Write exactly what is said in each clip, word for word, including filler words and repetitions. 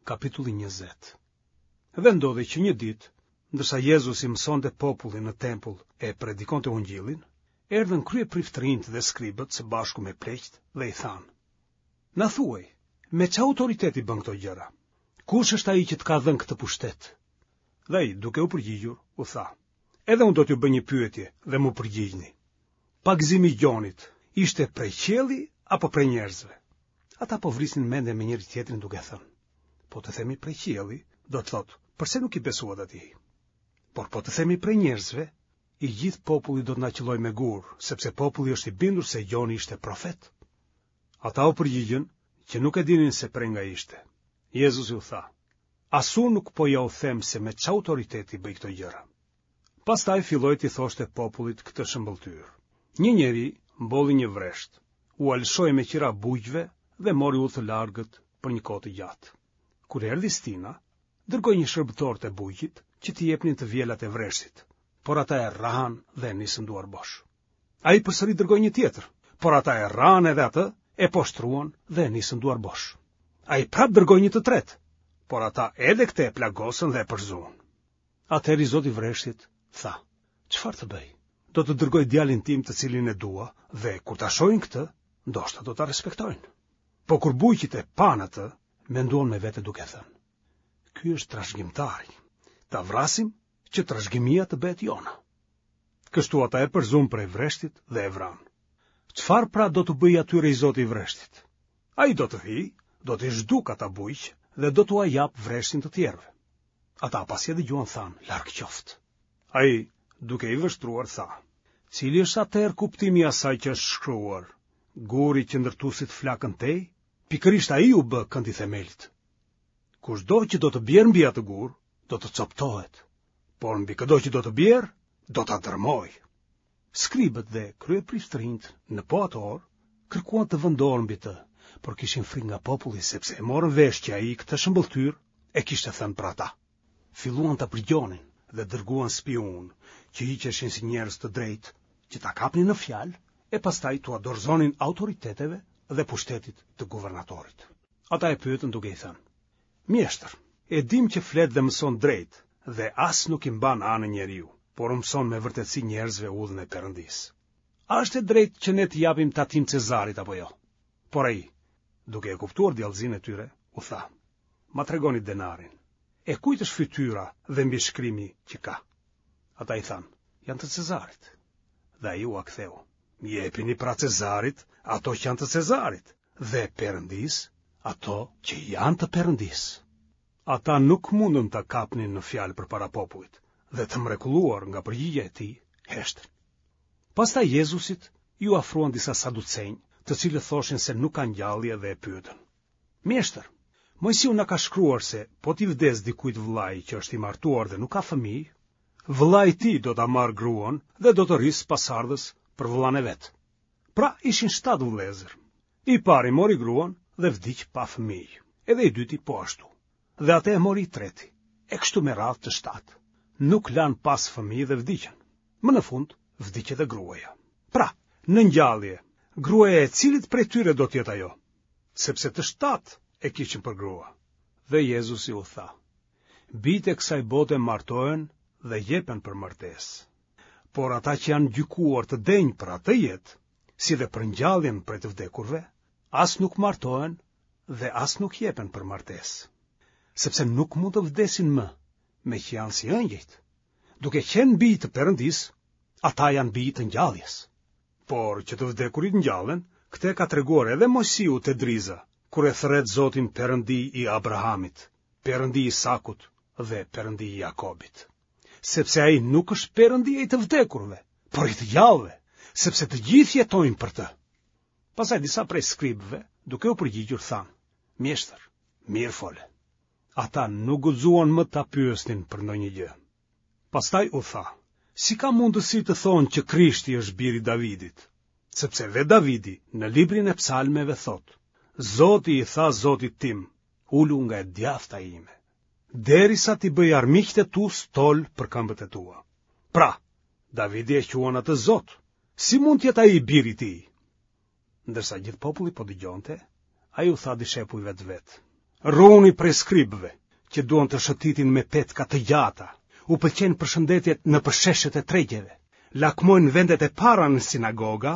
Kapitulli njëzet. Dhe ndodhi që një ditë, ndërsa Jezusi mësonte popullin në tempull e predikonte ungjillin, erdhën kryepriftërinjtë dhe skribët së bashku me pleqtë dhe i thanë: Na thuaj, me ç'autoritet i bën këto gjëra? Kush është ai që të ka dhënë këtë pushtet? Dhe ai, duke u përgjigjur, u tha: Edhe unë do t'ju bëj një pyetje dhe m'u përgjigjni. Pagëzimi i Gjonit ishte prej qielli apo prej njerëzve? Ata po vrisnin mendjen me njëri-tjetrin duke thënë: Po të themi prej qielli, do të thotë, përse nuk i besuat atij? Por po të themi prej njerëzve, i gjithë populli do të na qëllojë me gurë, sepse populli është i bindur se Gjoni ishte profet. Ata u përgjigjën që nuk e dinin se prej nga ishte. Jezusi u tha: As unë nuk po jua them se me ç'autoritet i bëj këto gjëra. Pastaj filloi t'i thoshte popullit këtë shëmbëlltyrë. Një njeri mbolli një vresht, ua lëshoi me qira bujqve dhe mori udhë të largët për një kohë të gjatë. Kur erdhi stina, dërgoi një shërbëtor te bujqit që t'i jepnin të vjelat e vreshtit, por ata e rrahën dhe e nisën duarbosh. Ai përsëri dërgoi një tjetër, por ata e rrahën edhe atë, e poshtruan dhe e nisën duarbosh. Ai prapë dërgoi një të tretë, por ata edhe këtë e plagosën dhe e përzunë. Atëherë i zoti i vreshtit tha: Çfarë të bëj? Do të dërgoj djalin tim të cilin e dua dhe kur ta shohin këtë, ndoshta do ta respektojnë. Po kur bujqit e panë atë, menduan me vete duke thënë: Ky është trashëgimtari. Ta vrasim që trashëgimia të bëhet jona. Kështu ata e përzunë prej vreshtit dhe e vranë. Çfarë pra do t'u bëjë atyre i zoti i vreshtit? Ai do të vijë, do t'i zhdukë ata bujq dhe do t'ua japë vreshtin të tjerëve. Ata pasi e dëgjuan thanë, larg qoftë. Ai, duke i vështruar, tha: Cili është atëherë kuptimi i asaj që është shkruar? Guri që ndërtuesit flakën tej, pikërisht ai u bë kënd i themelit. Kushdo që do të bjerë mbi atë gur, do të coptohet, por mbi këdo që do të bjerë, do ta dërmojë. Skribët dhe kryepriftërinjtë në po atë orë kërkuan të vënë dorë mbi të, por kishin frikë nga populli sepse e morën vesh që ai këtë shëmbëlltyrë e kishte thënë për ata. Filluan ta përgjonin dhe dërguan spiunë që hiqeshin si njerëz të drejtë, që ta kapnin në fjalë e pastaj t'ua dorëzonin autoriteteve dhe pushtetit të guvernatorit. Ata e pyetën duke i thënë: Mjeshtër, e dimë që flet dhe mëson drejt dhe as nuk i mban anë njeriu, por u mëson me vërtetësi njerëzve udhën e Perëndisë. A është e drejtë që ne t'i japim tatim Cezarit apo jo? Por ai, duke e kuptuar djallëzinë e tyre, u tha: Ma tregoni denarin. E kujt është fytyra dhe mbishkrimi që ka? Ata i thanë: Janë të Cezarit. Dhe ai ua ktheu: Jepini pra Cezarit ato që janë të Cezarit dhe Perëndisë ato që janë të Perëndisë. Ata nuk mundën ta kapnin në fjalë përpara popullit dhe të mrekulluar nga përgjigja e tij, heshtën. Pastaj Jezusit iu afruan disa saducenj, të cilët thoshin se nuk ka ngjallje dhe e pyetën: Mjeshtër, Moisiu na ka shkruar se po t'i vdes dikujt vëllai që është i martuar dhe nuk ka fëmijë, vëllai i tij do ta marrë gruan dhe do të rrisë pasardhës për vëllanë e vet. Pra ishin shtatë vëllezër. I pari mori gruan dhe vdiq pa fëmijë, edhe i dyti po ashtu. Dhe atë e mori i treti, e kështu me radhë të shtatë. Nuk lanë pas fëmijë dhe vdiqën. Më në fund vdiq edhe gruaja. Pra, në ngjallje, gruaja e cilit prej tyre do të jetë ajo? Sepse të shtatë e kishin për grua. Dhe Jezusi u tha: Bijtë e kësaj bote martohen dhe jepen për martesë. Por ata që janë gjykuar të denjë për atë jetë, si dhe për ngjalljen prej të vdekurve, as nuk martohen dhe as nuk jepen për martesë, sepse nuk mund të vdesin më, meqë janë si ëngjëjt. Duke qenë bij të Perëndisë, ata janë bij të ngjalljes. Por që të vdekurit ngjallen, këtë e ka treguar edhe Moisiu te Driza, kur e thërret Zotin Perëndi i Abrahamit, Perëndi i Isakut dhe Perëndi i Jakobit. Sepse ai nuk është Perëndi i të vdekurve, por i të gjallëve, sepse të gjithë jetojnë për të. Pastaj disa prej skribëve, duke u përgjigjur, thanë: Mjeshtër, mirë fole. Ata nuk guxuan më ta pyesnin për ndonjë gjë. Pastaj u tha: Si ka mundësi të thonë që Krishti është biri i Davidit? Sepse vetë Davidi në librin e psalmeve thotë: Zoti i tha Zotit tim, ulu nga e djathta ime, derisa t'i bëj armiqtë e tu stol për këmbët e tua. Pra, Davidi e quan atë Zot. Si mund të jetë ai biri i tij? Ndërsa gjithë populli po dëgjonte, ai u tha dishepujve të vet: Ruhuni prej skribëve, që duan të shëtitin me petka të gjata, u pëlqejnë përshëndetjet nëpër sheshet e tregjeve, lakmojnë vendet e para në sinagoga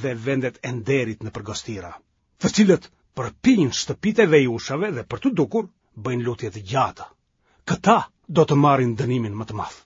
dhe vendet e nderit nëpër gostira, të cilët përpijnë shtëpitë e vejushave dhe për t'u dukur bëjnë lutje të gjata. Këta do të marrin dënimin më të madh.